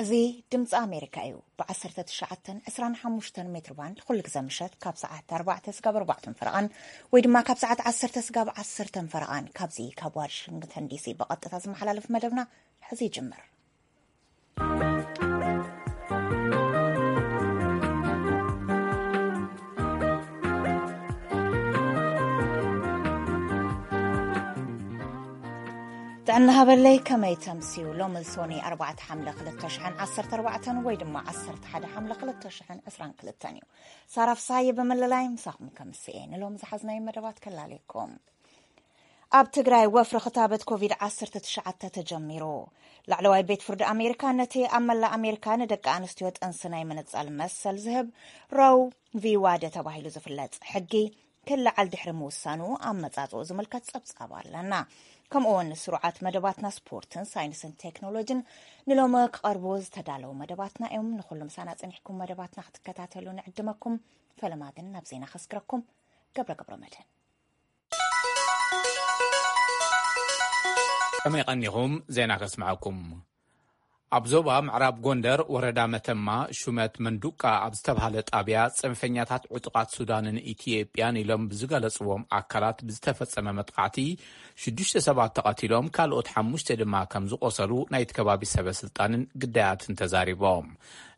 እዚ ድምፂ ኣሜሪካ እዩ። ብ1925 ሜትር ባንድ ኩሉ ግዜ ምሸት ካብ ሰዓት ኣርባዕተ ስጋብ ኣርባዕተን ፈረቓን ወይ ድማ ካብ ሰዓት ዓሰርተ ስጋብ ዓሰርተን ፈረቓን ካብዚ ካብ ዋሽንግተን ዲሲ ብቐጥታ ዝመሓላለፍ መደብና ሕዚ ይጅምር። ጥዕና ሃበለይ፣ ከመይ ተምስዩ? ሎሚ ሶኒ ኣርባዕተ ሓምለ ክልተ ሽሕን ዓሰርተ ኣርባዕተን ወይ ድማ ዓሰርተ ሓደ ሓምለ ክልተ ሽሕን ዕስራን ክልተን እዩ። ሳራ ፍሳሃየ ብምልላይ ምሳኹም ከምስኤ ንሎም ዝሓዝናይ መደባት ከላልየኩም። ኣብ ትግራይ ወፍሪ ክታበት ኮቪድ ዓሰርተ ትሽዓተ ተጀሚሩ። ላዕለዋይ ቤት ፍርዲ ኣሜሪካ ነቲ ኣብ መላእ ኣሜሪካ ንደቂ ኣንስትዮ ጥንሲ ናይ ምንጻል መሰል ዝህብ ሮው ቪ ዋደ ተባሂሉ ዝፍለጥ ሕጊ ክለዓል ድሕሪ ምውሳኑ ኣመጻጽኡ ዝምልከት ጸብጻብ ኣለና። ከምኡ እውን ስሩዓት መደባትና ስፖርትን ሳይንስን ቴክኖሎጂን ንሎሚ ክቐርቡ ዝተዳለዉ መደባትና እዮም። ንኹሉ ምሳና ጸኒሕኩም መደባትና ክትከታተሉ ንዕድመኩም። ፈለማ ግን ናብ ዜና ከስግረኩም። ገብረ ገብረ መድህን። ከመይ ቀኒኹም? ዜና ከስምዐኩም። ኣብ ዞባ ምዕራብ ጎንደር ወረዳ መተማ ሹመት መንዱቃ ኣብ ዝተባሃለ ጣብያ ጽንፈኛታት ዕጡቓት ሱዳንን ኢትዮጵያን ኢሎም ብዝገለጽዎም ኣካላት ብዝተፈጸመ መጥቃዕቲ ሽዱሽተ ሰባት ተቐቲሎም፣ ካልኦት ሓሙሽተ ድማ ከም ዝቖሰሉ ናይቲ ከባቢ ሰበ ስልጣንን ግዳያትን ተዛሪቦም።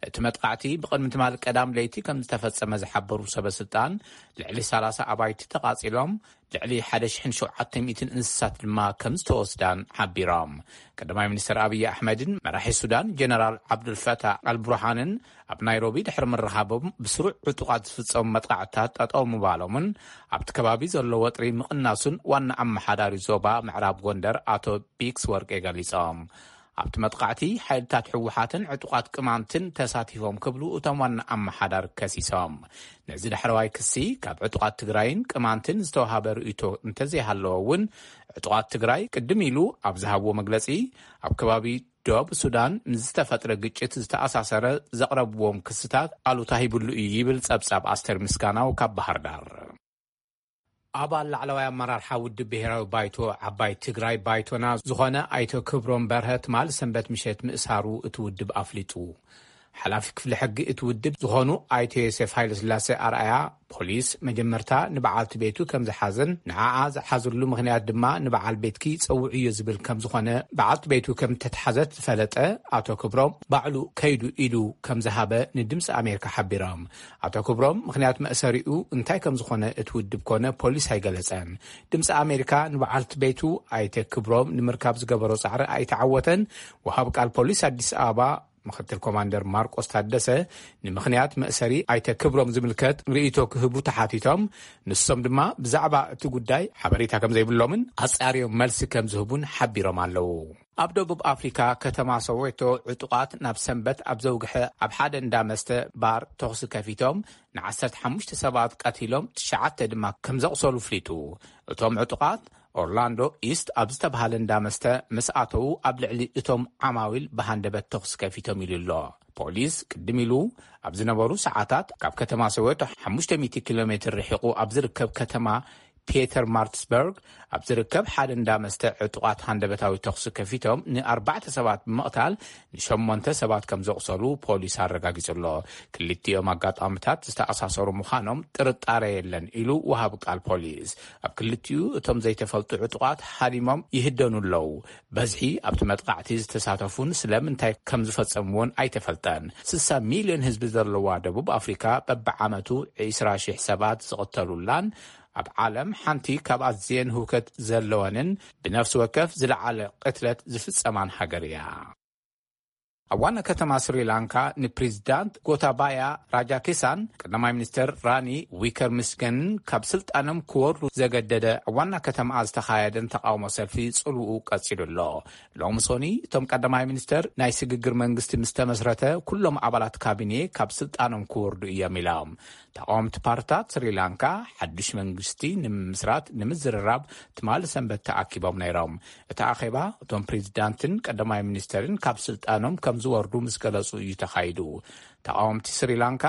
እቲ መጥቃዕቲ ብቕድሚ ትማሊ ቀዳም ለይቲ ከም ዝተፈጸመ ዝሓበሩ ሰበ ስልጣን፣ ልዕሊ ሰላሳ ኣባይቲ ተቓጺሎም፣ ልዕሊ ሓደ ሽሕን ሸውዓተ ሚእትን እንስሳት ድማ ከም ዝተወስዳን ሓቢሮም። ቀዳማይ ሚኒስትር ኣብይ ኣሕመድን መራሒ ሱዳን ጀነራል ዓብዱልፈታሕ ኣልቡርሃንን ኣብ ናይሮቢ ድሕሪ ምርኻቦም፣ ብስሩዕ ዕጡቓት ዝፍጸሙ መጥቃዕትታት ጠጠው ምባሎምን ኣብቲ ከባቢ ዘሎ ወጥሪ ምቕናሱን ዋና ኣመሓዳሪ ዞባ ምዕራብ ጎንደር ኣቶ ቢክስ ወርቄ ገሊጾም። ኣብቲ መጥቃዕቲ ሓይልታት ህወሓትን ዕጡቓት ቅማንትን ተሳቲፎም ክብሉ እቶም ዋና ኣመሓዳሪ ከሲሶም። ነዚ ዳሕረዋይ ክሲ ካብ ዕጡቓት ትግራይን ቅማንትን ዝተዋሃበ ርእይቶ እንተዘይሃለዎ እውን፣ ዕጡቓት ትግራይ ቅድም ኢሉ ኣብ ዝሃብዎ መግለጺ፣ ኣብ ከባቢ ዶብ ሱዳን ምስ ዝተፈጥረ ግጭት ዝተኣሳሰረ ዘቕረብዎም ክስታት ኣሉታ ሂብሉ እዩ ይብል ጸብጻብ ኣስተር ምስጋናው ካብ ባህር ዳር። ኣባል ላዕለዋይ ኣመራርሓ ውድብ ብሄራዊ ባይቶ ዓባይ ትግራይ ባይቶና ዝኾነ ኣይተ ክብሮም በርሀ ትማል ሰንበት ምሸት ምእሳሩ እቲ ውድብ ኣፍሊጡ። ሓላፊ ክፍሊ ሕጊ እቲ ውድብ ዝኾኑ ኣይተ ዮሴፍ ሃይለስላሴ ኣርኣያ፣ ፖሊስ መጀመርታ ንበዓልቲ ቤቱ ከም ዝሓዘን ንዓኣ ዝሓዘሉ ምኽንያት ድማ ንበዓል ቤትኪ ጸውዕዮ ዝብል ከም ዝኾነ፣ በዓልቲ ቤቱ ከም ተትሓዘት ዝፈለጠ ኣቶ ክብሮም ባዕሉ ከይዱ ኢሉ ከም ዝሃበ ንድምፂ ኣሜሪካ ሓቢሮም። ኣቶ ክብሮም ምኽንያት መእሰሪኡ እንታይ ከም ዝኾነ እቲ ውድብ ኮነ ፖሊስ ኣይገለጸን። ድምፂ ኣሜሪካ ንበዓልቲ ቤቱ ኣይተ ክብሮም ንምርካብ ዝገበሮ ጻዕሪ ኣይተዓወተን። ወሃብ ቃል ፖሊስ ኣዲስ ኣበባ ምክትል ኮማንደር ማርቆስ ታደሰ ንምኽንያት መእሰሪ ኣይተ ክብሮም ዝምልከት ርእይቶ ክህቡ ተሓቲቶም፣ ንሶም ድማ ብዛዕባ እቲ ጉዳይ ሓበሬታ ከም ዘይብሎምን ኣጻርዮም መልሲ ከም ዝህቡን ሓቢሮም ኣለዉ። ኣብ ደቡብ ኣፍሪካ ከተማ ሶዌቶ ዕጡቓት ናብ ሰንበት ኣብ ዘውግሐ ኣብ ሓደ እንዳ መስተ ባር ተኹሲ ከፊቶም፣ ንዓሰርተ ሓሙሽተ ሰባት ቀቲሎም፣ ትሽዓተ ድማ ከም ዘቑሰሉ ፍሊጡ። እቶም ዕጡቓት ኦርላንዶ ኢስት ኣብ ዝተባሃለ እንዳ መስተ ምስ ኣተዉ፣ ኣብ ልዕሊ እቶም ዓማዊል ብሃንደበት ተኹሲ ከፊቶም ኢሉ ኣሎ። ፖሊስ ቅድም ኢሉ ኣብ ዝነበሩ ሰዓታት ካብ ከተማ ሶዌቶ ሓሙሽተ ሚእቲ ኪሎ ሜትር ርሒቑ ኣብ ዝርከብ ከተማ ፒተር ማርትስበርግ ኣብ ዝርከብ ሓደ እንዳ መስተ ዕጡቓት ሃንደበታዊ ተኹሲ ከፊቶም ንኣርባዕተ ሰባት ብምቕታል ንሸሞንተ ሰባት ከም ዘቑሰሉ ፖሊስ ኣረጋጊጹ ኣሎ። ክልቲኦም ኣጋጣሚታት ዝተኣሳሰሩ ምዃኖም ጥርጣረ የለን ኢሉ ወሃቢ ቃል ፖሊስ። ኣብ ክልቲኡ እቶም ዘይተፈልጡ ዕጡቓት ሃዲሞም ይህደኑ ኣለዉ። በዝሒ ኣብቲ መጥቃዕቲ ዝተሳተፉን ስለምንታይ ከም ዝፈጸምዎን ኣይተፈልጠን። ስሳ ሚልዮን ህዝቢ ዘለዋ ደቡብ ኣፍሪካ በብዓመቱ ዕስራ ሺሕ ሰባት ዝቕተሉላን ኣብ ዓለም ሓንቲ ካብ ኣዝየን ህውከት ዘለወንን ብነፍሲ ወከፍ ዝለዓለ ቅትለት ዝፍጸማን ሃገር እያ። ኣብ ዋና ከተማ ስሪላንካ ንፕሬዚዳንት ጎታባያ ራጃኪሳን ቀዳማይ ሚኒስትር ራኒ ዊከርሚስገንን ካብ ስልጣኖም ክወርዱ ዘገደደ ኣብ ዋና ከተማኣ ዝተኻየደን ተቃውሞ ሰልፊ ጽልውኡ ቀጺሉ ኣሎ። ሎሚ ሶኒ እቶም ቀዳማይ ሚኒስትር ናይ ስግግር መንግስቲ ምስ ተመስረተ ኩሎም ኣባላት ካቢኔ ካብ ስልጣኖም ክወርዱ እዮም ኢሎም። ተቃወምቲ ፓርትታት ስሪላንካ ሓድሽ መንግስቲ ንምምስራት ንምዝርራብ ትማሊ ሰንበት ተኣኪቦም ነይሮም። እቲ ኣኼባ እቶም ፕሬዚዳንትን ቀዳማይ ሚኒስትርን ካብ ስልጣኖም ዝወርዱ ምስ ገለጹ እዩ ተኻይዱ። ተቃወምቲ ስሪላንካ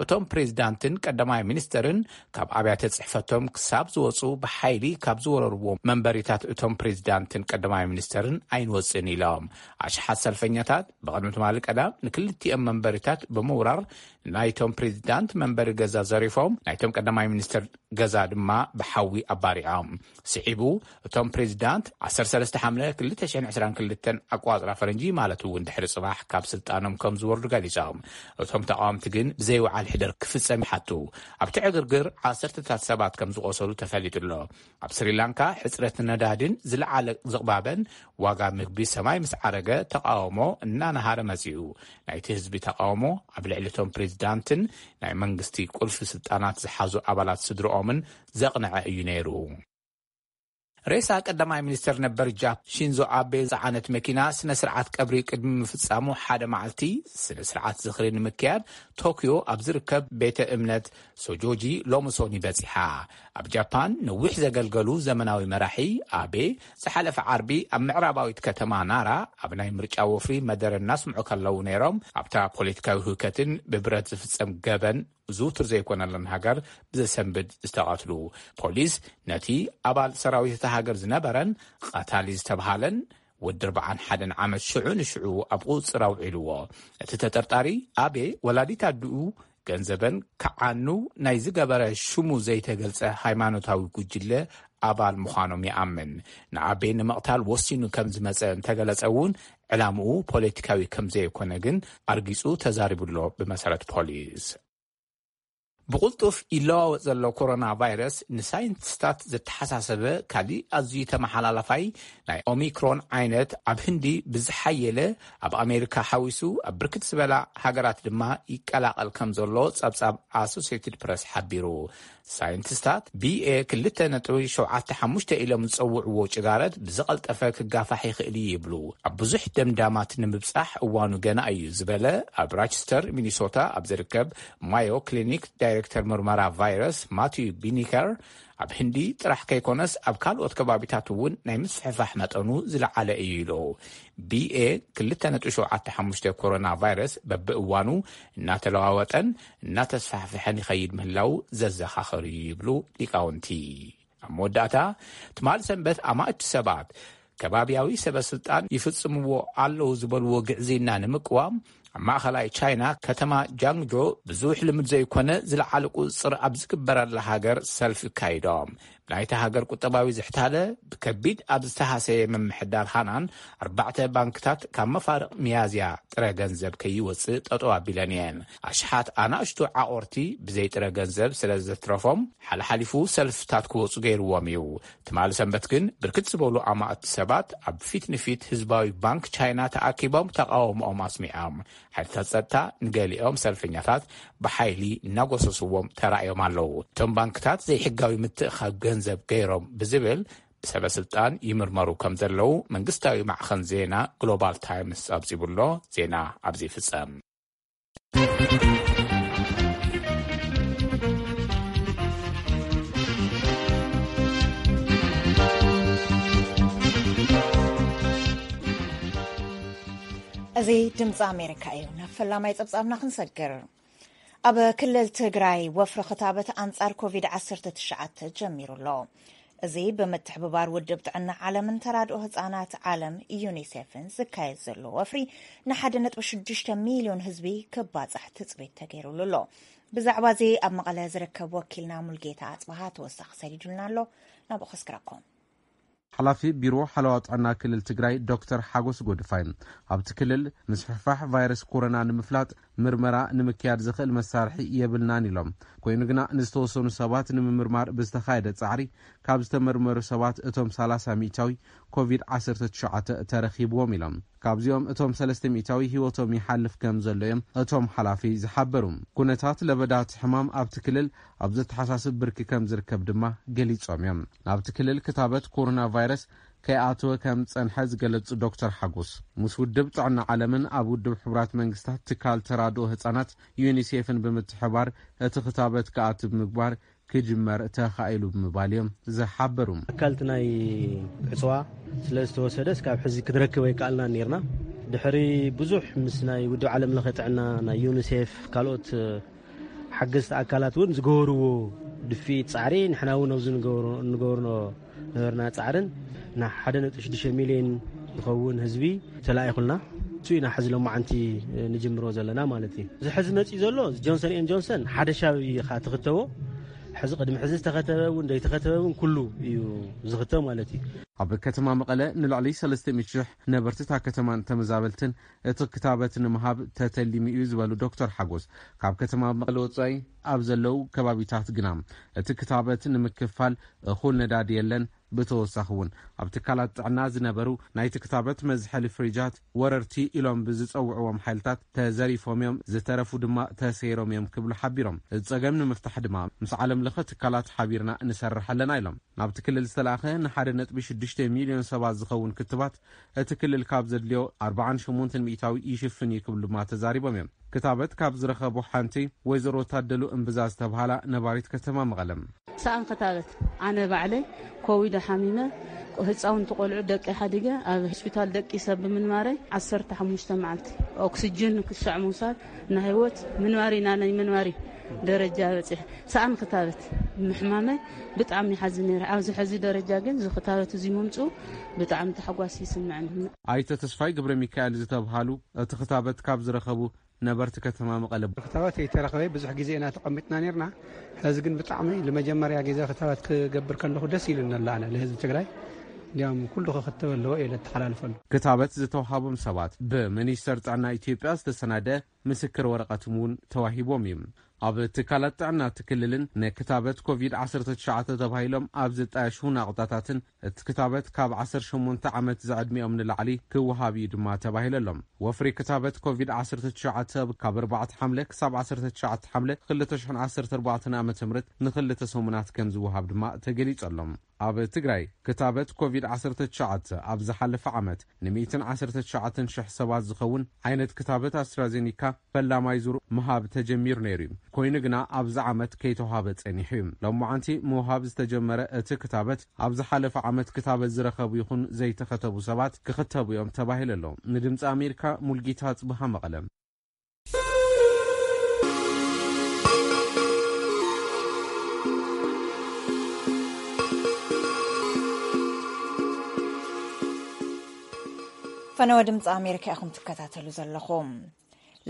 እቶም ፕሬዚዳንትን ቀዳማይ ሚኒስተርን ካብ ኣብያተ ጽሕፈቶም ክሳብ ዝወጹ ብሓይሊ ካብ ዝወረርዎ መንበሪታት እቶም ፕሬዚዳንትን ቀዳማይ ሚኒስተርን ኣይንወጽእን ኢሎም። ኣሽሓት ሰልፈኛታት ብቕድሚ ትማሊ ቀዳም ንክልቲኦም መንበሪታት ብምውራር ናይቶም ፕሬዚዳንት መንበሪ ገዛ ዘሪፎም፣ ናይቶም ቀዳማይ ሚኒስተር ገዛ ድማ ብሓዊ ኣባሪዖም። ስዒቡ እቶም ፕሬዚዳንት ዓሰርተ ሰለስተ ሓምለ ክልተ ሽሕን ዕስራን ክልተን ኣቋጽራ ፈረንጂ ማለት እውን ድሕሪ ጽባሕ ካብ ስልጣኖም ከም ዝወርዱ ገሊጾም። እቶም ተቃወምቲ ግን ብዘይወዓል ሕደር ክፍጸም ይሓቱ። ኣብቲ ዕግርግር ዓሰርተታት ሰባት ከም ዝቆሰሉ ተፈሊጡ ኣሎ። ኣብ ስሪላንካ ሕጽረት ነዳድን ዝለዓለ ዝቕባበን ዋጋ ምግቢ ሰማይ ምስ ዓረገ ተቃውሞ እናነሃረ መጺኡ። ናይቲ ህዝቢ ተቃውሞ ኣብ ልዕሊ እቶም ፕሬዚዳንትን ናይ መንግስቲ ቁልፊ ስልጣናት ዝሓዙ ኣባላት ስድርኦምን ዘቕንዐ እዩ ነይሩ። ሬሳ ቀዳማይ ሚኒስተር ነበር ጃፓን ሺንዞ ኣቤ ዝጸዓነት መኪና ስነ ስርዓት ቀብሪ ቅድሚ ምፍጻሙ ሓደ መዓልቲ ስነ ስርዓት ዝኽሪ ንምክያድ ቶክዮ ኣብ ዝርከብ ቤተ እምነት ሶጆጂ ሎሚ ሶኒ በጺሓ። ኣብ ጃፓን ነዊሕ ዘገልገሉ ዘመናዊ መራሒ ኣቤ ዝሓለፈ ዓርቢ ኣብ ምዕራባዊት ከተማ ናራ ኣብ ናይ ምርጫ ወፍሪ መደረ እናስምዑ ከለዉ ነይሮም ኣብታ ፖለቲካዊ ህውከትን ብብረት ዝፍጸም ገበን ዝውቱር ዘይኮነለን ሃገር ብዘሰንብድ ዝተቐትሉ። ፖሊስ ነቲ ኣባል ሰራዊት እታ ሃገር ዝነበረን ቀታሊ ዝተብሃለን ወዲ ኣርባዓን ሓደን ዓመት ሽዑ ንሽዑ ኣብ ቁጽጽር ኣውዒልዎ። እቲ ተጠርጣሪ ኣቤ ወላዲት ኣድኡ ገንዘበን ክዓኑ ናይ ዝገበረ ሽሙ ዘይተገልጸ ሃይማኖታዊ ጉጅለ ኣባል ምዃኖም ይኣምን። ንኣቤ ንምቕታል ወሲኑ ከም ዝመጸ እንተገለጸ እውን ዕላምኡ ፖለቲካዊ ከም ዘይኮነ ግን ኣርጊጹ ተዛሪቡሎ ብመሰረት ፖሊስ። ብቕልጡፍ ይለዋወጥ ዘሎ ኮሮና ቫይረስ ንሳይንቲስታት ዘተሓሳሰበ ካሊእ ኣዝዩ ተመሓላላፋይ ናይ ኦሚክሮን ዓይነት ኣብ ህንዲ ብዝሓየለ ኣብ ኣሜሪካ ሓዊሱ ኣብ ብርክት ዝበላ ሃገራት ድማ ይቀላቐል ከም ዘሎ ጸብጻብ ኣሶሲየትድ ፕረስ ሓቢሩ። ሳይንቲስታት ቢኤ ክልተ ነጥቢ ሸውዓተ ሓሙሽተ ኢሎም ዝጸውዕዎ ጭጋረት ብዝቐልጠፈ ክጋፋሕ ይኽእል እዩ ይብሉ። ኣብ ብዙሕ ደምዳማት ንምብጻሕ እዋኑ ገና እዩ ዝበለ ኣብ ራቸስተር ሚኒሶታ ኣብ ዝርከብ ማዮ ክሊኒክ ዳይሬክተር ምርመራ ቫይረስ ማቲዩ ቢኒከር ኣብ ህንዲ ጥራሕ ከይኮነስ ኣብ ካልኦት ከባቢታት እውን ናይ ምስፍሕፋሕ መጠኑ ዝለዓለ እዩ ኢሉ። ቢኤ ክልተ ነጥቢ ሸውዓተ ሓሙሽተ ኮሮና ቫይረስ በብእዋኑ እናተለዋወጠን እናተስፋሕፍሐን ይኸይድ ምህላው ዘዘኻኸር እዩ ይብሉ ሊቃውንቲ። ኣብ መወዳእታ ትማል ሰንበት ኣማእቲ ሰባት ከባቢያዊ ሰበ ስልጣን ይፍጽምዎ ኣለዉ ዝበልዎ ግዕዝይና ንምቅዋም ኣብ ማእኸላይ ቻይና ከተማ ጃንግጆ ብዙሕ ልምድ ዘይኮነ ዝለዓለ ቁፅፅር ኣብ ዝግበረላ ሃገር ሰልፊ ካይዶም። ናይታ ሃገር ቁጠባዊ ዝሕታለ ብከቢድ ኣብ ዝተሃሰየ ምምሕዳር ሃናን ኣርባዕተ ባንክታት ካብ መፋርቕ ሚያዝያ ጥረ ገንዘብ ከይወፅእ ጠጠው ኣቢለን እየን። ኣሽሓት ኣናእሽቱ ዓቆርቲ ብዘይ ጥረ ገንዘብ ስለ ዘትረፎም ሓለሓሊፉ ሰልፍታት ክወፁ ገይርዎም እዩ። ትማሊ ሰንበት ግን ብርክት ዝበሉ ኣማእቲ ሰባት ኣብ ፊት ንፊት ህዝባዊ ባንክ ቻይና ተኣኪቦም ተቃውሞኦም ኣስሚዖም። ሓይልታት ጸጥታ ንገሊኦም ሰልፈኛታት ብሓይሊ እናጎሰስዎም ተራእዮም ኣለዉ። እቶም ባንክታት ዘይሕጋዊ ምትእኻብ ገንዘብ ገይሮም ብዝብል ብሰበ ስልጣን ይምርመሩ ከም ዘለዉ መንግስታዊ ማዕኸን ዜና ግሎባል ታይምስ ጸብጺቡሎ። ዜና ኣብዚ ይፍጸም። እዚ ድምፂ ኣሜሪካ እዩ። ናብ ፈላማይ ፀብፃብና ክንሰግር። ኣብ ክልል ትግራይ ወፍሪ ክታበት ኣንፃር ኮቪድ ዓሰርተ ትሽዓተ ጀሚሩ ኣሎ። እዚ ብምትሕብባር ውድብ ጥዕና ዓለምን ተራድኦ ህፃናት ዓለም ዩኒሴፍን ዝካየድ ዘሎ ወፍሪ ንሓደ ነጥቢ ሽዱሽተ ሚልዮን ህዝቢ ክባፃሕ ትፅቢት ተገይሩሉ ኣሎ። ብዛዕባ እዚ ኣብ መቐለ ዝርከብ ወኪልና ሙልጌታ ኣፅበሃ ተወሳኺ ሰዲዱልና ኣሎ። ናብኡ ከስክረኩም። ሓላፊ ቢሮ ሓለዋ ጥዕና ክልል ትግራይ ዶክተር ሓጎስ ጎድፋይ ኣብቲ ክልል ምስፍሕፋሕ ቫይረስ ኮሮና ንምፍላጥ ምርመራ ንምክያድ ዝኽእል መሳርሒ የብልናን ኢሎም። ኮይኑ ግና ንዝተወሰኑ ሰባት ንምምርማር ብዝተኻየደ ጻዕሪ ካብ ዝተመርመሩ ሰባት እቶም ሰላሳ ሚእታዊ ኮቪድ ዓሰርተ ትሽዓተ ተረኺብዎም ኢሎም። ካብዚኦም እቶም ሰለስተ ሚእታዊ ህይወቶም ይሓልፍ ከም ዘሎ እዮም እቶም ሓላፊ ዝሓበሩ። ኩነታት ለበዳ እቲ ሕማም ኣብቲ ክልል ኣብ ዘተሓሳስብ ብርኪ ከም ዝርከብ ድማ ገሊጾም እዮም። ናብቲ ክልል ክታበት ኮሮና ቫይረስ ከይኣተወ ከም ዝጸንሐ ዝገለጹ ዶክተር ሓጎስ፣ ምስ ውድብ ጥዕና ዓለምን ኣብ ውድብ ሕቡራት መንግስታት ትካል ተራድኦ ህጻናት ዩኒሴፍን ብምትሕባር እቲ ክታበት ክኣቱ ብምግባር ክጅመር ተኻኢሉ ብምባል እዮም ዝሓበሩ። ኣካልቲ ናይ ዕፅዋ ስለ ዝተወሰደ እስካብ ሕዚ ክንረክብ ኣይከኣልናን ነይርና። ድሕሪ ብዙሕ ምስ ናይ ውድብ ዓለም ለኸ ጥዕና፣ ናይ ዩኒሴፍ፣ ካልኦት ሓገዝቲ ኣካላት እውን ዝገበርዎ ድፊት ጻዕሪ፣ ንሕና እውን ኣብዚ ንገብሮ ንገብርኖ ነበርና ጻዕርን፣ ን ሓደ ነጥቢ ሽዱሽተ ሚልዮን ዝኸውን ህዝቢ ተላኢኹልና። እሱ ኢና ሕዚ ሎማዓንቲ ንጅምሮ ዘለና ማለት እዩ። እዚ ሕዚ መጺኡ ዘሎ ጆንሰን ኤን ጆንሰን ሓደ ሻብ ኢኻ ትኽተቦ። ሕዚ ቅድሚ ሕዚ ዝተኸተበ እውን ዘይተኸተበ እውን ኩሉ እዩ ዝኽተብ ማለት እዩ። ኣብ ከተማ መቐለ ንልዕሊ ሰለስተ ሚእቲ ሽሕ ነበርቲ እታ ከተማን ተመዛበልትን እቲ ክታበት ንምሃብ ተተሊሙ እዩ ዝበሉ ዶክተር ሓጎስ፣ ካብ ከተማ መቐለ ወጻኢ ኣብ ዘለዉ ከባቢታት ግና እቲ ክታበት ንምክፋል እኹል ነዳዲ የለን። ብተወሳኺ እውን ኣብ ትካላት ጥዕና ዝነበሩ ናይቲ ክታበት መዝሐሊ ፍሪጃት ወረርቲ ኢሎም ብዝጸውዕዎም ሓይልታት ተዘሪፎም እዮም፣ ዝተረፉ ድማ ተሰይሮም እዮም ክብሉ ሓቢሮም። እዚ ጸገም ንምፍታሕ ድማ ምስ ዓለም ለኸ ትካላት ሓቢርና ንሰርሕ ኣለና ኢሎም። ናብቲ ክልል ዝተላእኸ ንሓደ ነጥቢ ሽዱሽተ ሚልዮን ሰባት ዝኸውን ክትባት እቲ ክልል ካብ ዘድልዮ ኣርብዓን ሸሞንተን ሚእታዊ ይሽፍን እዩ ክብሉ ድማ ተዛሪቦም እዮም። ክታበት ካብ ዝረኸቡ ሓንቲ ወይዘሮ ታደሉ እምብዛ ዝተብሃላ ነባሪት ከተማ መቐለም። ሰኣን ክታበት ኣነ ባዕለይ ኮቪድ ሓሚመ፣ ህፃውንቲ ቆልዑ ደቂ ሓዲገ ኣብ ሆስፒታል ደቂ ሰብ ብምንባረይ ዓሰርተ ሓሙሽተ መዓልቲ ኦክስጅን ክሻዕ ምውሳድ ንህይወት ምንባሪ ናነይ ምንባሪ ደረጃ በፂሐ ሰኣን ክታበት ምሕማመይ ብጣዕሚ ይሓዝን ነይረ። ኣብዚ ሕዚ ደረጃ ግን እዚ ክታበት እዚ ምምፅኡ ብጣዕሚ ተሓጓስ ይስምዐኒ። ኣይተ ተስፋይ ገብረ ሚካኤል ዝተብሃሉ እቲ ክታበት ካብ ዝረኸቡ ነበርቲ ከተማ መቐለ። ክታበት ኣይተረኸበ ብዙሕ ግዜ ኢና ተቐሚጥና ነርና። ሕዚ ግን ብጣዕሚ ንመጀመርያ ግዜ ክታበት ክገብር ከለኹ ደስ ኢሉኒ ኣሎ። ኣነ ንህዝቢ ትግራይ እንዲያውም ኩሉ ክኽተብ ኣለዎ እየ ለተሓላልፈሉ። ክታበት ዝተዋሃቦም ሰባት ብሚኒስተር ጥዕና ኢትዮጵያ ዝተሰናደ ምስክር ወረቐት እውን ተዋሂቦም እዩ። ኣብ ትካላት ጥዕና እቲ ክልልን ንክታበት ኮቪድ ዓሰርተ ትሽዓተ ተባሂሎም ኣብ ዝጣየሹ ናቑጣታትን እቲ ክታበት ካብ ዓሰርተ ሸሞንተ ዓመት ዝዕድሚኦም ንላዕሊ ክወሃብ እዩ ድማ ተባሂሉ ኣሎ። ወፍሪ ክታበት ኮቪድ ዓሰርተ ትሽዓተ ካብ ኣርባዕተ ሓምለ ክሳብ ዓሰርተ ትሽዓተ ሓምለ ክልተ ሽሕን ዓሰርተ ኣርባዕተን ዓመተ ምህረት ንክልተ ሰሙናት ከም ዝወሃብ ድማ ተገሊጹ ኣሎ። ኣብ ትግራይ ክታበት ኮቪድ ዓሰርተ ትሽዓተ ኣብ ዝሓለፈ ዓመት ንሚእትን ዓሰርተ ትሽዓተን ሽሕ ሰባት ዝኸውን ዓይነት ክታበት ኣስትራዜኒካ ፈላማይ ዙር ምሃብ ተጀሚሩ ነይሩ እዩ። ኮይኑ ግና ኣብዚ ዓመት ከይተዋሃበ ጸኒሑ እዩ። ሎማዓንቲ ምውሃብ ዝተጀመረ እቲ ክታበት ኣብ ዝሓለፈ ዓመት ክታበት ዝረኸቡ ይኹን ዘይተኸተቡ ሰባት ክኽተቡ እዮም ተባሂሉ ኣሎ። ንድምፂ ኣሜሪካ ሙልጌታ ጽብሃ መቐለ። ፈነወ ድምፂ ኣሜሪካ ኢኹም ትከታተሉ ዘለኹም።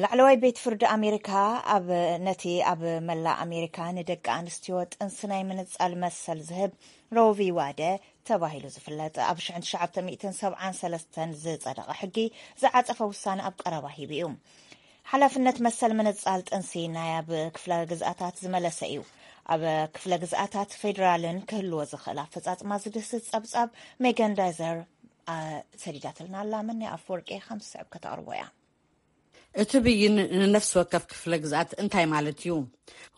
ላዕለዋይ ቤት ፍርዲ ኣሜሪካ ኣብ፣ ነቲ ኣብ መላእ ኣሜሪካ ንደቂ ኣንስትዮ ጥንሲ ናይ ምንጻል መሰል ዝህብ ሮቪ ዋደ ተባሂሉ ዝፍለጥ ኣብ ሺሕ ትሽዓተ ሚእትን ሰብዓን ሰለስተን ዝጸደቐ ሕጊ ዝዓጸፈ ውሳነ ኣብ ቀረባ ሂቡ እዩ። ሓላፍነት መሰል ምንጻል ጥንሲ ናይ ኣብ ክፍለ ግዝኣታት ዝመለሰ እዩ። ኣብ ክፍለ ግዝኣታት ፌዴራልን ክህልዎ ዝኽእል ኣፈጻጽማ ዝድህስስ ጸብጻብ ሜገን ዳይዘር፣ አ፣ ሰዲዳትልና ኣላ። መን ኣፍወርቂ ከም ዝስዕብ ከተቕርቦ እያ። እቲ ብይን ንነፍሲ ወከፍ ክፍለ ግዝኣት እንታይ ማለት እዩ?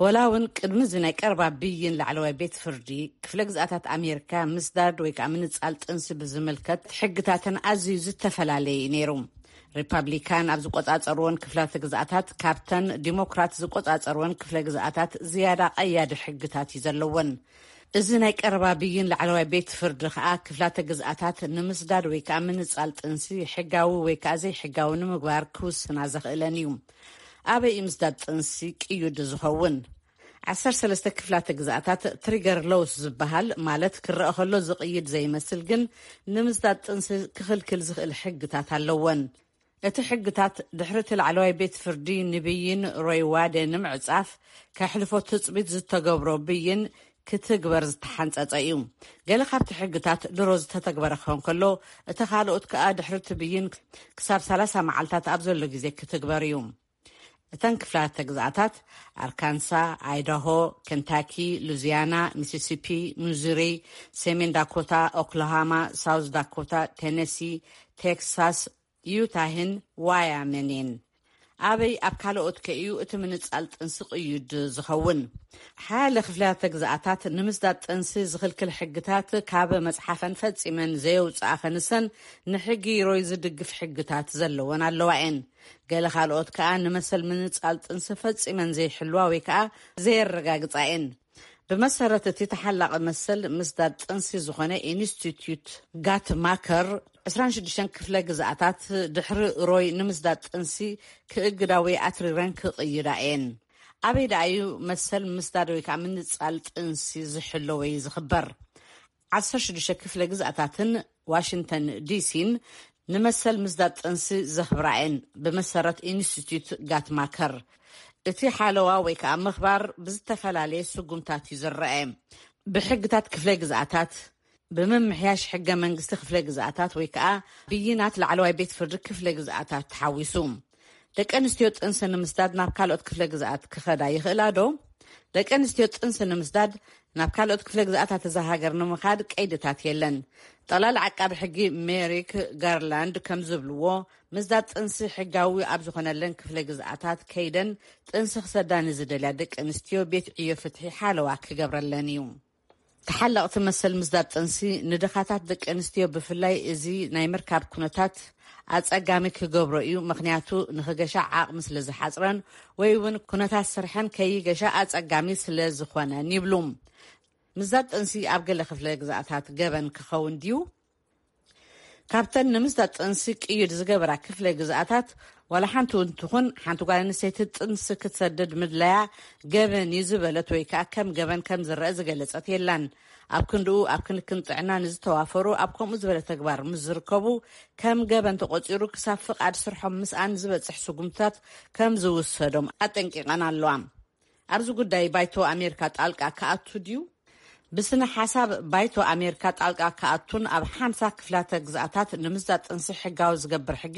ወላ እውን ቅድሚ እዚ ናይ ቀረባ ብይን ላዕለዋይ ቤት ፍርዲ፣ ክፍለ ግዝኣታት ኣሜሪካ ምስዳድ ወይ ከዓ ምንጻል ጥንሲ ብዝምልከት ሕግታተን ኣዝዩ ዝተፈላለየ እዩ ነይሩ። ሪፓብሊካን ኣብ ዝቆጻጸርዎን ክፍላተ ግዝኣታት ካብተን ዲሞክራት ዝቆጻጸርዎን ክፍለ ግዝኣታት ዝያዳ ቀያዲ ሕግታት እዩ ዘለወን። እዚ ናይ ቀረባ ብይን ላዕለዋይ ቤት ፍርዲ ከኣ ክፍላተ ግዝኣታት ንምስዳድ ወይ ከኣ ምንጻል ጥንሲ ሕጋዊ ወይ ከኣ ዘይሕጋዊ ንምግባር ክውስና ዘኽእለን እዩ። ኣበይ እዩ ምስዳድ ጥንሲ ቅዩድ ዝኸውን? ዓሰርተ ሰለስተ ክፍላተ ግዝኣታት ትሪገር ሎውስ ዝበሃል፣ ማለት ክረአ ከሎ ዝቕይድ ዘይመስል ግን ንምስዳድ ጥንሲ ክኽልክል ዝኽእል ሕግታት ኣለወን። እቲ ሕግታት ድሕሪ እቲ ላዕለዋይ ቤት ፍርዲ ንብይን ሮይ ዋደ ንምዕጻፍ ከሕልፎ ትጽቢት ዝተገብሮ ብይን ክትግበር ዝተሓንጸጸ እዩ። ገለ ካብቲ ሕግታት ድሮ ዝተተግበረ ክኸውን ከሎ፣ እቲ ካልኦት ከኣ ድሕሪ እቲ ብይን ክሳብ ሰላሳ መዓልታት ኣብ ዘሎ ግዜ ክትግበር እዩ። እተን ክፍላተ ግዝኣታት ኣርካንሳ፣ ኣይዳሆ፣ ኬንታኪ፣ ሉዚያና፣ ሚሲሲፒ፣ ሚዙሪ፣ ሰሜን ዳኮታ፣ ኦክላሃማ፣ ሳውዝ ዳኮታ፣ ቴነሲ፣ ቴክሳስ፣ ዩታህን ዋያመኒን። ኣበይ ኣብ ካልኦት ከ እዩ እቲ ምንጻል ጥንሲ ቅዩድ ዝኸውን? ሓያለ ክፍላተ ግዝኣታት ንምስዳድ ጥንሲ ዝኽልክል ሕግታት ካብ መጽሓፈን ፈጺመን ዘየውጽኣ ከንሰን ንሕጊ ሮይ ዝድግፍ ሕግታት ዘለወን ኣለዋ እየን። ገለ ካልኦት ከኣ ንመሰል ምንጻል ጥንሲ ፈጺመን ዘይሕልዋ ወይ ከኣ ዘየረጋግጻ እየን። ብመሰረት እቲ ተሓላቒ መሰል ምስዳድ ጥንሲ ዝኾነ ኢንስቲትዩት ጋትማከር ዕስራን ሽዱሽተን ክፍለ ግዝኣታት ድሕሪ ሮይ ንምስዳድ ጥንሲ ክእግዳ ወይ ኣትሪረን ክቕይዳ እየን። ኣበይ ደኣ እዩ መሰል ምስዳድ ወይ ከዓ ምንጻል ጥንሲ ዝሕሎ ወይ ዝኽበር? ዓሰርተ ሽዱሽተ ክፍለ ግዝኣታትን ዋሽንግተን ዲሲን ንመሰል ምስዳድ ጥንሲ ዘኽብራ እየን፣ ብመሰረት ኢንስቲትዩት ጋትማከር። እቲ ሓለዋ ወይ ከዓ ምኽባር ብዝተፈላለየ ስጉምታት እዩ ዝረአ። ብሕግታት ክፍለ ግዝኣታት፣ ብምምሕያሽ ሕገ መንግስቲ ክፍለ ግዝኣታት ወይ ከዓ ብይናት ላዕለዋይ ቤት ፍርዲ ክፍለ ግዝኣታት ተሓዊሱ። ደቂ ኣንስትዮ ጥንሲ ንምስዳድ ናብ ካልኦት ክፍለ ግዝኣት ክኸዳ ይኽእላ ዶ? ደቂ ኣንስትዮ ጥንሲ ንምስዳድ ናብ ካልኦት ክፍለ ግዝኣታት እዛ ሃገር ንምኻድ ቀይድታት የለን። ጠላል ዓቃቢ ሕጊ ሜሪክ ጋርላንድ ከም ዝብልዎ፣ ምስዳድ ጥንሲ ሕጋዊ ኣብ ዝኾነለን ክፍለ ግዝኣታት ከይደን ጥንሲ ክሰዳ ንዝደልያ ደቂ ኣንስትዮ ቤት ዕዮ ፍትሒ ሓለዋ ክገብረለን እዩ። ተሓለቕቲ መሰል ምስዳድ ጥንሲ ንድኻታት ደቂ ኣንስትዮ፣ ብፍላይ እዚ ናይ ምርካብ ኩነታት ኣጸጋሚ ክገብሮ እዩ፣ ምኽንያቱ ንኽገሻ ዓቕሚ ስለ ዝሓጽረን ወይ እውን ኩነታት ስርሐን ከይገሻ ኣጸጋሚ ስለ ዝኾነን ይብሉ። ምስዳድ ጥንሲ ኣብ ገለ ክፍለ ግዝኣታት ገበን ክኸውን ድዩ? ካብተን ንምስዳድ ጥንሲ ቅይድ ዝገበራ ክፍለ ግዝኣታት ዋላ ሓንቲ እውን ትኹን፣ ሓንቲ ጓል ኣንስተይቲ ጥንሲ ክትሰድድ ምድላያ ገበን እዩ ዝበለት ወይ ከዓ ከም ገበን ከም ዝረአ ዝገለጸት የላን። ኣብ ክንድኡ ኣብ ክንክን ጥዕና ንዝተዋፈሩ ኣብ ከምኡ ዝበለ ተግባር ምስ ዝርከቡ ከም ገበን ተቆጺሩ ክሳብ ፍቓድ ስርሖም ምስኣን ዝበጽሕ ስጉምትታት ከም ዝውሰዶም ኣጠንቂቐን ኣለዋ። ኣብዚ ጉዳይ ባይቶ ኣሜሪካ ጣልቃ ክኣቱ ድዩ? ብስነ ሓሳብ ባይቶ ኣሜሪካ ጣልቃ ክኣቱን ኣብ ሓምሳ ክፍላተ ግዝኣታት ንምስዳድ ጥንሲ ሕጋዊ ዝገብር ሕጊ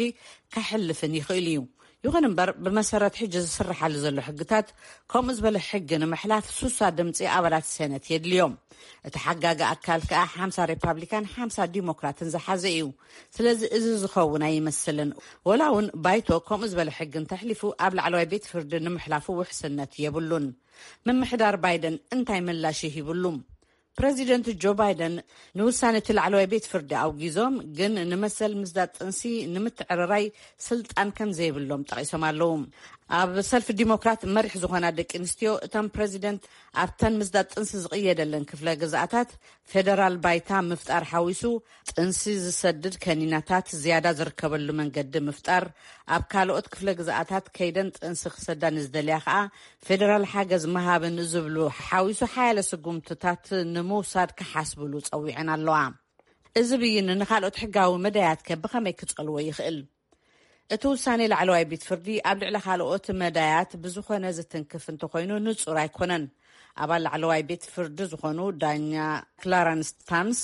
ከሕልፍን ይኽእል እዩ። ይኹን እምበር ብመሰረት ሕጂ ዝስርሓሉ ዘሎ ሕግታት ከምኡ ዝበለ ሕጊ ንምሕላፍ ሱሳ ድምፂ ኣባላት ሴነት የድልዮም። እቲ ሓጋጊ ኣካል ከዓ ሓምሳ ሪፓብሊካን ሓምሳ ዲሞክራትን ዝሓዘ እዩ። ስለዚ እዚ ዝኸውን ኣይመስልን። ወላ እውን ባይቶ ከምኡ ዝበለ ሕጊ እንተሕሊፉ ኣብ ላዕለዋይ ቤት ፍርዲ ንምሕላፉ ውሕስነት የብሉን። ምምሕዳር ባይደን እንታይ ምላሽ ይሂብሉ? ፕረዚደንት ጆ ባይደን ንውሳነ እቲ ላዕለዋይ ቤት ፍርዲ ኣውጊዞም፣ ግን ንመሰል ምስዳድ ጥንሲ ንምትዕርራይ ስልጣን ከም ዘይብሎም ጠቒሶም ኣለዉ። ኣብ ሰልፊ ዲሞክራት መሪሕ ዝኾና ደቂ ኣንስትዮ እቶም ፕረዚደንት ኣብተን ምስዳድ ጥንሲ ዝቕየደለን ክፍለ ግዝኣታት ፌደራል ባይታ ምፍጣር ሓዊሱ ጥንሲ ዝሰድድ ከኒናታት ዝያዳ ዝርከበሉ መንገዲ ምፍጣር፣ ኣብ ካልኦት ክፍለ ግዝኣታት ከይደን ጥንሲ ክሰዳ ንዝደልያ ከዓ ፌደራል ሓገዝ ምሃብን ዝብሉ ሓዊሱ ሓያለ ስጉምትታት ንምውሳድ ክሓስብሉ ጸዊዐን ኣለዋ። እዚ ብይን ንኻልኦት ሕጋዊ መዳያት ከ ብኸመይ ክጸልዎ ይኽእል? እቲ ውሳኔ ላዕለዋይ ቤት ፍርዲ ኣብ ልዕሊ ካልኦት መዳያት ብዝኾነ ዝትንክፍ እንተኾይኑ ንጹር ኣይኮነን። ኣባል ላዕለዋይ ቤት ፍርዲ ዝኾኑ ዳኛ ክላረንስ ታምስ፣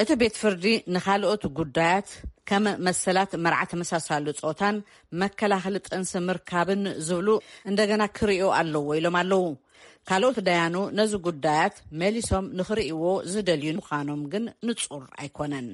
እቲ ቤት ፍርዲ ንኻልኦት ጉዳያት ከም መሰላት መርዓ ተመሳሳሉ ጾታን መከላኸሊ ጥንሲ ምርካብን ዝብሉ እንደገና ክርእዮ ኣለዎ ኢሎም ኣለዉ። ካልኦት ዳያኑ ነዚ ጉዳያት መሊሶም ንኽርእይዎ ዝደልዩ ምዃኖም ግን ንጹር ኣይኮነን።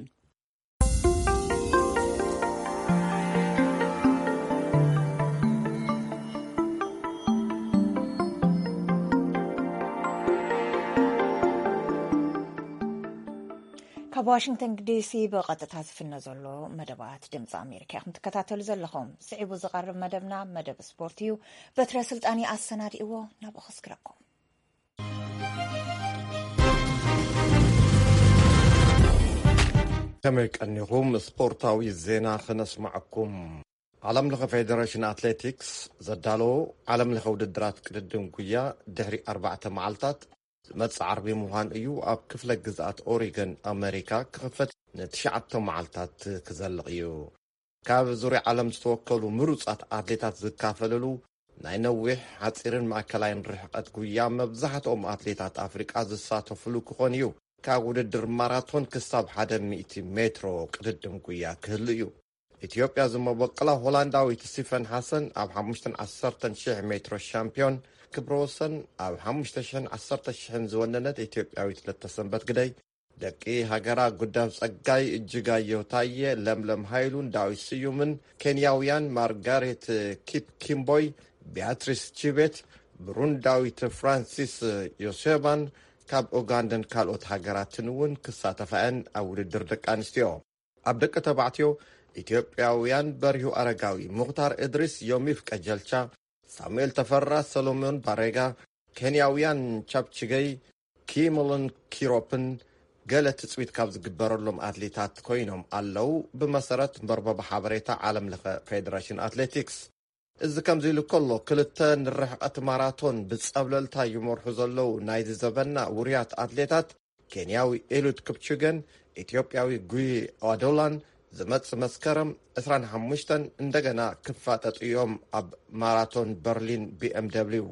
ካብ ዋሽንግተን ዲሲ ብቐጥታ ዝፍኖ ዘሎ መደባት ድምፂ ኣሜሪካ ኢኹም ትከታተሉ ዘለኹም። ስዒቡ ዝቐርብ መደብና መደብ ስፖርት እዩ። በትረ ስልጣን ኣሰናዲእዎ፣ ናብኡ ከስግረኩም። ከመይ ቀኒኹም? ስፖርታዊ ዜና ክነስማዓኩም። ዓለም ለኸ ፌደሬሽን ኣትሌቲክስ ዘዳለዎ ዓለም ለኸ ውድድራት ቅድድም ጉያ ድሕሪ ኣርባዕተ መዓልታት ዝመጽእ ዓርቢ ምዃን እዩ ኣብ ክፍለ ግዝኣት ኦሪገን ኣመሪካ ክኽፈት ንትሽዓተ መዓልታት ክዘልቕ እዩ። ካብ ዙርያ ዓለም ዝተወከሉ ምሩጻት ኣትሌታት ዝካፈልሉ ናይ ነዊሕ፣ ሓጺርን ማእከላይን ርሕቀት ጉያ መብዛሕትኦም ኣትሌታት ኣፍሪቃ ዝሳተፍሉ ክኾን እዩ። ካብ ውድድር ማራቶን ክሳብ ሓደ ሚእቲ ሜትሮ ቅድድም ጉያ ክህሉ እዩ። ኢትዮጵያ ዝመበቅላ ሆላንዳዊት ስቲፈን ሓሰን ኣብ ሓሙሽተን ዓሰርተን ሽሕ ሜትሮ ሻምፒዮን፣ ክብረ ወሰን ኣብ ሓሙሽተ ሽሕን ዓሰርተ ሽሕን ዝወነነት ኢትዮጵያዊት ለተሰንበት ግደይ፣ ደቂ ሃገራ ጉዳፍ ጸጋይ፣ እጅጋየሁ ታየ፣ ለምለም ሃይሉን ዳዊት ስዩምን፣ ኬንያውያን ማርጋሬት ኪፕኪምቦይ፣ ቢያትሪስ ቺቤት፣ ብሩንዳዊት ፍራንሲስ ዮሴባን፣ ካብ ኡጋንዳን ካልኦት ሃገራትን እውን ክሳተፋ እየን ኣብ ውድድር ደቂ ኣንስትዮ። ኣብ ደቂ ተባዕትዮ፣ ኢትዮጵያውያን በሪሁ ኣረጋዊ፣ ሙኽታር እድሪስ፣ ዮሚፍ ቀጀልቻ፣ ሳሙኤል ተፈራ፣ ሰሎሞን ባሬጋ፣ ኬንያውያን ቻፕችገይ፣ ኪሞሎን ኪሮፕን ገለ ትጽቢት ካብ ዝግበረሎም ኣትሌታት ኮይኖም ኣለዉ፣ ብመሰረት መርበብ ሓበሬታ ዓለም ለኸ ፌደሬሽን ኣትሌቲክስ። እዚ ከምዚ ኢሉ ከሎ፣ ክልተ ንርሕቐት ማራቶን ብጸብለልታ ይመርሑ ዘለዉ ናይዚ ዘበና ውሩያት ኣትሌታት፣ ኬንያዊ ኤሉድ ክፕቹገን ኢትዮጵያዊ ጉይ ኣዶላን፣ ዝመጽእ መስከረም ዕስራን ሓሙሽተን እንደገና ክፋጠጡ እዮም ኣብ ማራቶን በርሊን ቢ ኤም ደብሊው።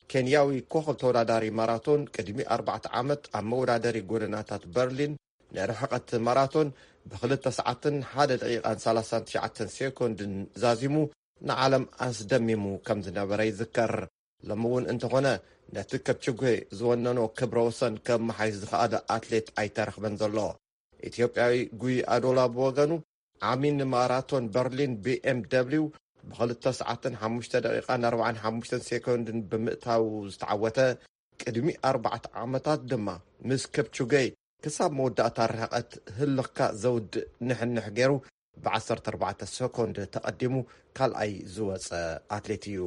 ኬንያዊ ኮኸብ ተወዳዳሪ ማራቶን ቅድሚ ኣርባዕተ ዓመት ኣብ መወዳደሪ ጎደናታት በርሊን ንርሕቐት ማራቶን ብኽልተ ሰዓትን ሓደ ደቂቓን ሰላሳን ትሽዓተን ሴኮንድን ዛዚሙ ንዓለም ኣስደሚሙ ከም ዝነበረ ይዝከር። ሎሚ እውን እንተኾነ ነቲ ከፕችጉ ዝወነኖ ክብረ ወሰን ከመሓይሽ ዝኸኣለ ኣትሌት ኣይተረኽበን ዘሎ። ኢትዮጵያዊ ጉይ ኣዶላ ብወገኑ ዓሚ ንማራቶን በርሊን ቢ ኤም ደብሊው ብኽልተ ሰዓትን ሓሙሽተ ደቂቓን ኣርባዓን ሓሙሽተን ሴኮንድን ብምእታው ዝተዓወተ፣ ቅድሚ ኣርባዕተ ዓመታት ድማ ምስ ከፕቹገይ ክሳብ መወዳእታ ርሕቐት ህልኽካ ዘውድእ ንሕንሕ ገይሩ ብዓሰርተ ኣርባዕተ ሰኮንድ ተቐዲሙ ካልኣይ ዝወጸ ኣትሌት እዩ።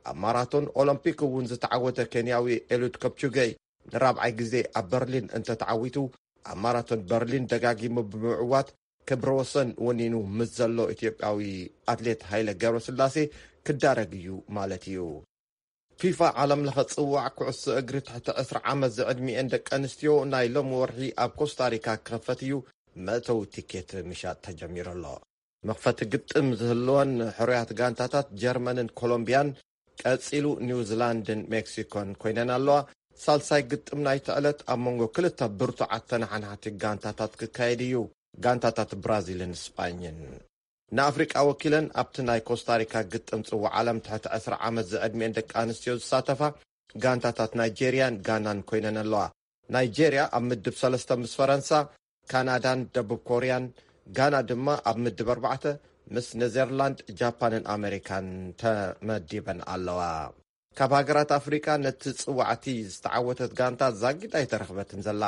ኣብ ማራቶን ኦሎምፒክ እውን ዝተዓወተ ኬንያዊ ኤሉድ ከፕቹገይ ንራብዓይ ግዜ ኣብ በርሊን እንተተዓዊቱ፣ ኣብ ማራቶን በርሊን ደጋጊሙ ብምዕዋት ክብረ ወሰን ወኒኑ ምስ ዘሎ ኢትዮጵያዊ ኣትሌት ሃይለ ገብረስላሴ ክዳረግ እዩ ማለት እዩ። ፊፋ ዓለም ለኸ ጽዋዕ ኩዕሶ እግሪ ትሕቲ ዕስራ ዓመት ዝዕድሚኤን ደቂ ኣንስትዮ ናይ ሎም ወርሒ ኣብ ኮስታሪካ ክኸፈት እዩ። መእተዊ ቲኬት ምሻጥ ተጀሚሩ ኣሎ። መኽፈቲ ግጥም ዝህልወን ሕሩያት ጋንታታት ጀርመንን ኮሎምቢያን፣ ቀጺሉ ኒውዚላንድን ሜክሲኮን ኮይነን ኣለዋ። ሳልሳይ ግጥም ናይቲ ዕለት ኣብ መንጎ ክልተ ብርቱዓት ተነሓናሕቲ ጋንታታት ክካየድ እዩ፣ ጋንታታት ብራዚልን ስጳኝን። ንኣፍሪቃ ወኪለን ኣብቲ ናይ ኮስታሪካ ግጥም ጽዋዕ ዓለም ትሕቲ ዕስራ ዓመት ዝዕድሚኤን ደቂ ኣንስትዮ ዝሳተፋ ጋንታታት ናይጄርያን ጋናን ኮይነን ኣለዋ። ናይጄርያ ኣብ ምድብ ሰለስተ ምስ ፈረንሳ፣ ካናዳን ደቡብ ኮርያን፣ ጋና ድማ ኣብ ምድብ ኣርባዕተ ምስ ኔዘርላንድ፣ ጃፓንን ኣሜሪካን ተመዲበን ኣለዋ። ካብ ሃገራት ኣፍሪቃ ነቲ ጽዋዕቲ ዝተዓወተት ጋንታ ዛጊት ኣይተረኽበትን ዘላ።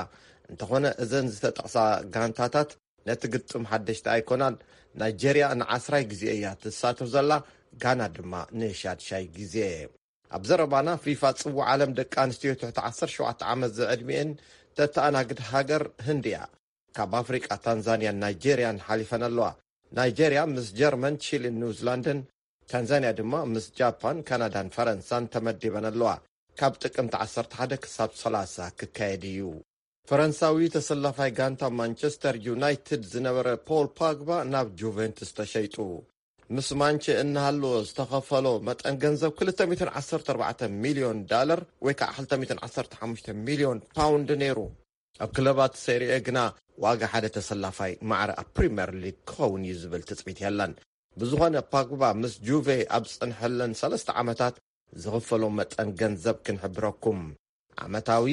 እንተኾነ እዘን ዝተጠቕሳ ጋንታታት ነቲ ግጥም ሓደሽቲ ኣይኮናን። ናይጄርያ ንዓስራይ ግዜ እያ ትሳተፍ ዘላ፣ ጋና ድማ ንሻድሻይ ግዜ። ኣብ ዘረባና ፊፋ ጽዋዕ ዓለም ደቂ ኣንስትዮ ትሕቲ ዓሰርተ ሸውዓተ ዓመት ዝዕድሚኤን ተተኣናግድ ሃገር ህንዲ እያ። ካብ ኣፍሪቃ ታንዛንያን ናይጄርያን ሓሊፈን ኣለዋ። ናይጄርያ ምስ ጀርመን፣ ቺሊን ኒውዚላንድን፣ ታንዛንያ ድማ ምስ ጃፓን፣ ካናዳን ፈረንሳን ተመዲበን ኣለዋ። ካብ ጥቅምቲ ዓሰርተ ሓደ ክሳብ ሰላሳ ክካየድ እዩ። ፈረንሳዊ ተሰላፋይ ጋንታ ማንቸስተር ዩናይትድ ዝነበረ ፖል ፓግባ ናብ ጁቬንቱስ ተሸይጡ። ምስ ማንቸ እናሃለወ ዝተኸፈሎ መጠን ገንዘብ ክልተ ሚእትን ዓሰርተ ኣርባዕተ ሚልዮን ዳለር ወይ ከዓ ክልተ ሚእትን ዓሰርተ ሓሙሽተ ሚልዮን ፓውንድ ነይሩ። ኣብ ክለባት ሴሪኤ ግና ዋጋ ሓደ ተሰላፋይ ማዕረ ኣብ ፕሪምየር ሊግ ክኸውን እዩ ዝብል ትጽቢት የለን። ብዝኾነ ፓግባ ምስ ጁቬ ኣብ ዝጸንሐለን ሰለስተ ዓመታት ዝኽፈሎ መጠን ገንዘብ ክንሕብረኩም። ዓመታዊ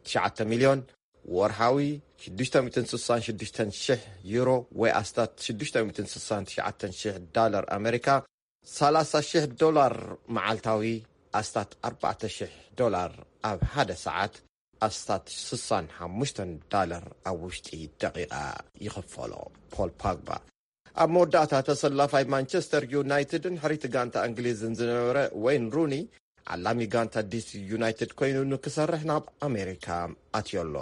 ትሽዓተ ሚልዮን፣ ወርሓዊ ሽዱሽተ ሚእትን ስሳን ሽዱሽተን ሽሕ ዩሮ ወይ ኣስታት ሽዱሽተ ሚእትን ስሳን ትሽዓተን ሽሕ ዳለር ኣሜሪካ፣ ሰላሳ ሽሕ ዶላር መዓልታዊ፣ ኣስታት ኣርባዕተ ሽሕ ዶላር ኣብ ሓደ ሰዓት፣ ኣስታት ስሳን ሓሙሽተን ዳለር ኣብ ውሽጢ ደቂቓ ይኽፈሎ። ፖል ፓግባ። ኣብ መወዳእታ ተሰላፋይ ማንቸስተር ዩናይትድን ሕሪቲ ጋንታ እንግሊዝን ዝነበረ ወይን ሩኒ፣ ዓላሚ ጋንታ ዲሲ ዩናይትድ ኮይኑ ንክሰርሕ ናብ ኣሜሪካ ኣትዮ ኣሎ።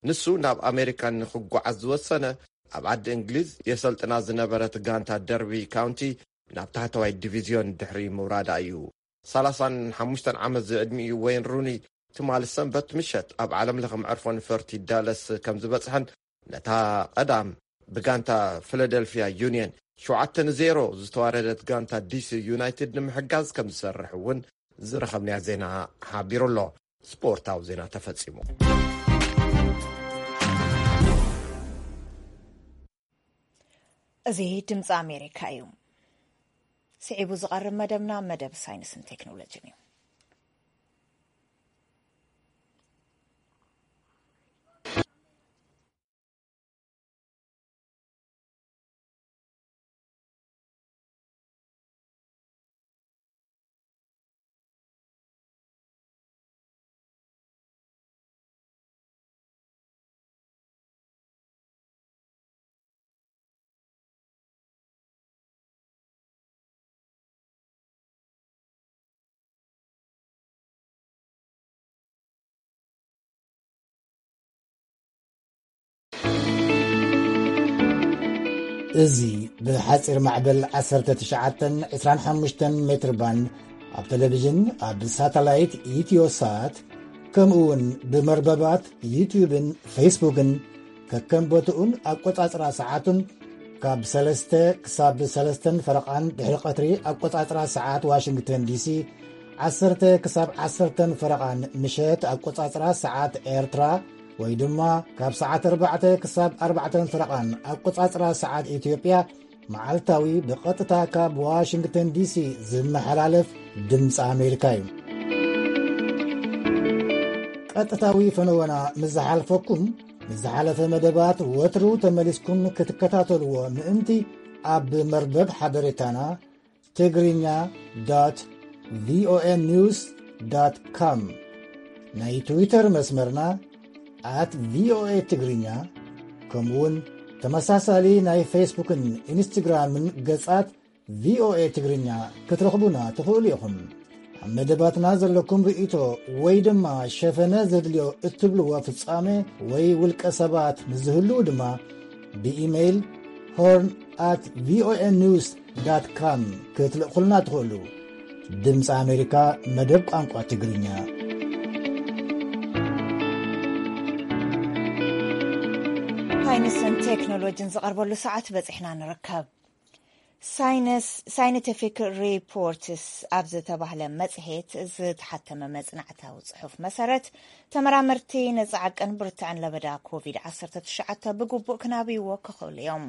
ንሱ ናብ ኣሜሪካ ንክጓዓዝ ዝወሰነ፣ ኣብ ዓዲ እንግሊዝ የሰልጥና ዝነበረት ጋንታ ደርቢ ካውንቲ ናብ ታሕተዋይ ዲቪዝዮን ድሕሪ ምውራዳ እዩ። ሰላሳን ሓሙሽተን ዓመት ዝዕድሚኡ ወይን ሩኒ ትማሊ ሰንበት ምሸት ኣብ ዓለም ለኸ መዕርፎ ነፈርቲ ዳለስ ከም ዝበጽሐን ነታ ቀዳም ብጋንታ ፊላደልፊያ ዩኒየን ሸውዓተ ንዜሮ ዝተዋረደት ጋንታ ዲሲ ዩናይትድ ንምሕጋዝ ከም ዝሰርሕ እውን ዝረኸብናዮ ዜና ሓቢሩ ኣሎ። ስፖርታዊ ዜና ተፈጺሙ። እዚ ድምፂ ኣሜሪካ እዩ። ስዒቡ ዝቐርብ መደብና መደብ ሳይንስን ቴክኖሎጂን እዩ። እዚ ብሓጺር ማዕበል ዓሰርተ ትሽዓተ ዕስራን ሓሙሽተን ሜትር ባንድ ኣብ ቴሌቪዥን፣ ኣብ ሳተላይት ኢትዮሳት፣ ከምኡ እውን ብመርበባት ዩትዩብን ፌስቡክን፣ ከከም ቦትኡን ኣቆጻጽራ ሰዓቱን፣ ካብ ሰለስተ ክሳብ ሰለስተን ፈረቓን ድሕሪ ቀትሪ ኣቆጻጽራ ሰዓት ዋሽንግተን ዲሲ፣ ዓሰርተ ክሳብ ዓሰርተን ፈረቓን ምሸት ኣቆጻጽራ ሰዓት ኤርትራ፣ ወይ ድማ ካብ ሰዓት ኣርባዕተ ክሳብ ኣርባዕተን ፈረቓን ኣቆጻጽራ ሰዓት ኢትዮጵያ፣ መዓልታዊ ብቐጥታ ካብ ዋሽንግተን ዲሲ ዝመሓላለፍ ድምፂ ኣሜሪካ እዩ። ቀጥታዊ ፈነወና ምስ ዝሓልፈኩም፣ ምስ ዝሓለፈ መደባት ወትሩ ተመሊስኩም ክትከታተልዎ ምእንቲ፣ ኣብ መርበብ ሓበሬታና ትግርኛ ቪኦኤ ኒውስ ኮም፣ ናይ ትዊተር መስመርና ኣት ቪኦኤ ትግርኛ፣ ከምኡውን ተመሳሳሊ ናይ ፌስቡክን ኢንስትግራምን ገጻት ቪኦኤ ትግርኛ ክትረኽቡና ትኽእሉ ኢኹም። ኣብ መደባትና ዘለኩም ርእይቶ ወይ ድማ ሸፈነ ዘድልዮ እትብልዎ ፍጻሜ ወይ ውልቀ ሰባት ምስ ዝህልዉ ድማ ብኢሜይል ሆርን ኣት ቪኦኤ ኒውስ ዳት ካም ክትልእኹልና ትኽእሉ። ድምፂ ኣሜሪካ፣ መደብ ቋንቋ ትግርኛ። ሳይንስን ቴክኖሎጂን ዝቐርበሉ ሰዓት በፂሕና ንርከብ። ሳይንስ፣ ሳይንቲፊክ ሪፖርትስ ኣብ ዝተባህለ መጽሔት ዝተሓተመ መጽናዕታዊ ጽሑፍ መሰረት፣ ተመራመርቲ ነጻ ዓቀን ብርትዕን ለበዳ ኮቪድ ዓሰርተ ትሽዓተ ብግቡእ ክናብይዎ ክኽእሉ እዮም።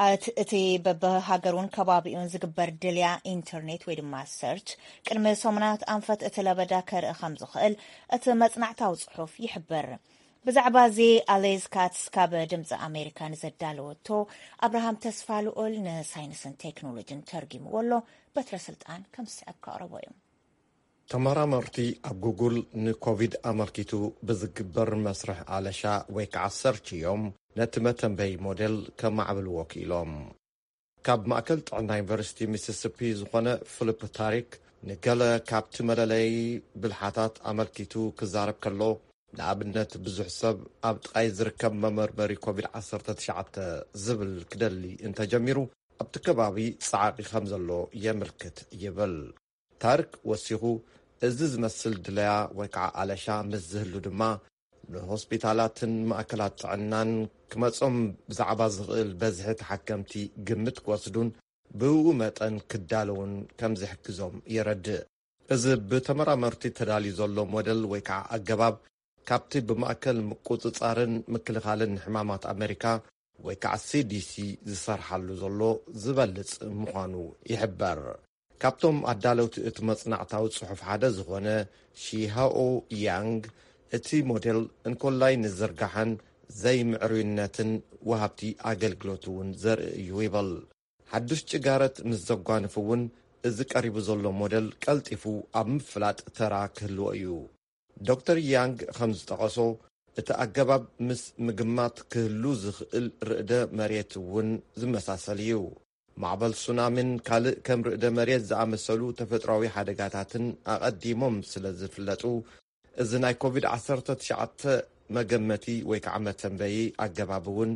ኣት-፣ እቲ በብሃገሩን ከባቢኡን ዝግበር ድልያ ኢንተርኔት ወይ ድማ ሰርች ቅድሚ ሰሙናት ኣንፈት እቲ ለበዳ ከርኢ ከም ዝኽእል እቲ መጽናዕታዊ ጽሑፍ ይሕብር። ብዛዕባ እዚ ኣሌዝ ካትስ ካብ ድምፂ ኣሜሪካ ንዘዳለወቶ ኣብርሃም ተስፋ ልኦል ንሳይንስን ቴክኖሎጂን ተርጊምዎ ኣሎ። በትረ ስልጣን ከም ዝስዕብ ከቕርቦ እዩ። ተመራመርቲ ኣብ ጉጉል ንኮቪድ ኣመልኪቱ ብዝግበር መስርሕ ኣለሻ ወይ ከዓ ሰርች እዮም ነቲ መተንበይ ሞዴል ከማዕብልዎ ክኢሎም። ካብ ማእከል ጥዕና ዩኒቨርሲቲ ሚሲሲፒ ዝኾነ ፊሊፕ ታሪክ ንገለ ካብቲ መለለዪ ብልሓታት ኣመልኪቱ ክዛረብ ከሎ፣ ንኣብነት ብዙሕ ሰብ ኣብ ጥቓይ ዝርከብ መመርመሪ ኮቪድ ዓሰርተ ትሽዓተ ዝብል ክደሊ እንተጀሚሩ፣ ኣብቲ ከባቢ ጻዕቂ ከም ዘሎ የምልክት ይብል። ታርክ ወሲኹ፣ እዚ ዝመስል ድለያ ወይ ከዓ ኣለሻ ምስ ዝህሉ ድማ፣ ንሆስፒታላትን ማእከላት ጥዕናን ክመጾም ብዛዕባ ዝኽእል በዝሒ ተሓከምቲ ግምት ክወስዱን ብኡ መጠን ክዳለውን ከም ዝሕግዞም የረድእ። እዚ ብተመራመርቲ ተዳልዩ ዘሎ ሞዴል ወይ ከዓ ኣገባብ፣ ካብቲ ብማእከል ምቁጽጻርን ምክልኻልን ሕማማት ኣመሪካ ወይ ከዓ ሲ ዲ ሲ ዝሰርሓሉ ዘሎ ዝበልጽ ምዃኑ ይሕበር። ካብቶም ኣዳለውቲ እቲ መጽናዕታዊ ጽሑፍ ሓደ ዝኾነ ሺሃኦ ያንግ፣ እቲ ሞዴል እንኮላይ ንዝርጋሐን ዘይምዕሩይነትን ወሃብቲ ኣገልግሎት እውን ዘርኢ እዩ ይብል። ሓዱሽ ጭጋረት ምስ ዘጓንፍ እውን፣ እዚ ቀሪቡ ዘሎ ሞዴል ቀልጢፉ ኣብ ምፍላጥ ተራ ክህልዎ እዩ። ዶክተር ያንግ ከም ዝጠቐሶ፣ እቲ ኣገባብ ምስ ምግማት ክህሉ ዝኽእል ርዕደ መሬት እውን ዝመሳሰል እዩ። ማዕበል ሱናሚን ካልእ ከም ርዕደ መሬት ዝኣመሰሉ ተፈጥሮኣዊ ሓደጋታትን ኣቐዲሞም ስለ ዝፍለጡ፣ እዚ ናይ ኮቪድ ዓሰርተ ትሽዓተ መገመቲ ወይ ከዓ መተንበዪ ኣገባብ እውን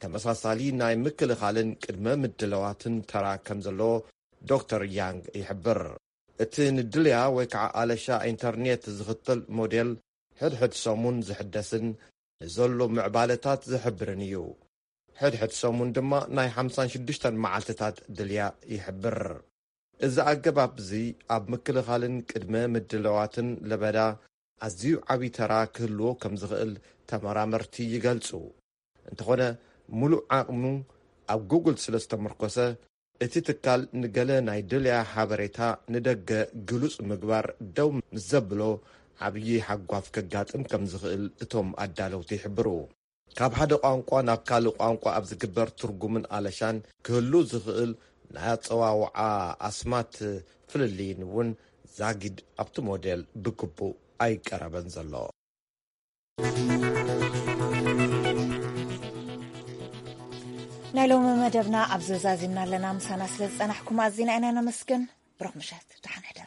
ተመሳሳሊ ናይ ምክልኻልን ቅድመ ምድላዋትን ተራ ከም ዘለዎ ዶክተር ያንግ ይሕብር። እቲ ንድልያ ወይ ከዓ ኣለሻ ኢንተርኔት ዝኽተል ሞዴል ሕድሕድ ሰሙን ዝሕደስን ንዘሎ ምዕባለታት ዝሕብርን እዩ። ሕድሕድ ሰሙን ድማ ናይ ሓምሳን ሽዱሽተን መዓልትታት ድልያ ይሕብር። እዚ ኣገባብ እዚ ኣብ ምክልኻልን ቅድመ ምድላዋትን ለበዳ ኣዝዩ ዓቢ ተራ ክህልዎ ከም ዝኽእል ተመራመርቲ ይገልጹ። እንተኾነ፣ ሙሉእ ዓቕሙ ኣብ ጉግል ስለ ዝተመርኮሰ፣ እቲ ትካል ንገለ ናይ ድልያ ሓበሬታ ንደገ ግሉጽ ምግባር ደው ምስ ዘብሎ፣ ዓብዪ ሓጓፍ ከጋጥም ከም ዝኽእል እቶም ኣዳለውቲ ይሕብሩ። ካብ ሓደ ቋንቋ ናብ ካልእ ቋንቋ ኣብ ዝግበር ትርጉምን ኣለሻን ክህሉ ዝኽእል ናይ ኣጸዋውዓ ኣስማት ፍልልይን እውን ዛጊድ ኣብቲ ሞዴል ብግቡእ ኣይቀረበን ዘሎ። ናይ ሎሚ መደብና ኣብዚ ዛዚምና ኣለና። ምሳና ስለ ዝጸናሕኩም ኣዚና ኢና ነመስግን። ብሩኽ ምሸት፣ ደሓን ሕደሩ።